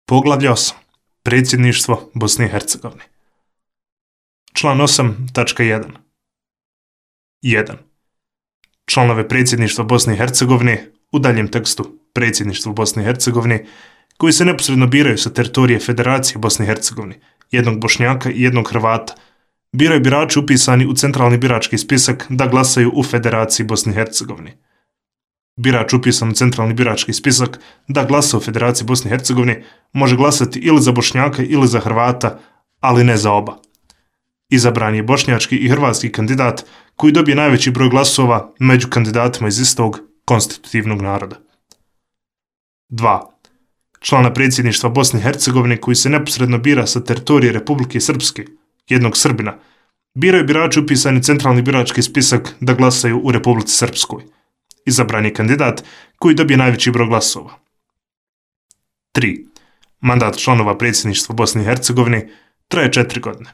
Poglavlje 8. Predsjedništvo Bosne i Hercegovine. Član 8.1. 1. Članove Predsjedništva Bosne i Hercegovine, u daljem tekstu Predsjedništvo Bosne i Hercegovine, koji se neposredno biraju sa teritorije Federacije Bosne i Hercegovine, jednog Bošnjaka i jednog Hrvata, biraju birači upisani u centralni birački spisak da glasaju u Federaciji Bosne i Hercegovine. Birač upisan u centralni birački spisak da glasa u Federaciji Bosne i Hercegovine može glasati ili za Bošnjaka ili za Hrvata, ali ne za oba. Izabran je bošnjački i hrvatski kandidat koji dobije najveći broj glasova među kandidatima iz istog konstitutivnog naroda. 2. Člana Predsjedništva Bosne i Hercegovine koji se neposredno bira sa teritorije Republike Srpske, jednog Srbina, biraju birači upisani u centralni birački spisak da glasaju u Republici Srpskoj. Izabran je kandidat koji dobije najveći broj glasova. 3. Mandat članova Predsjedništva Bosne i Hercegovine traje 4 godine.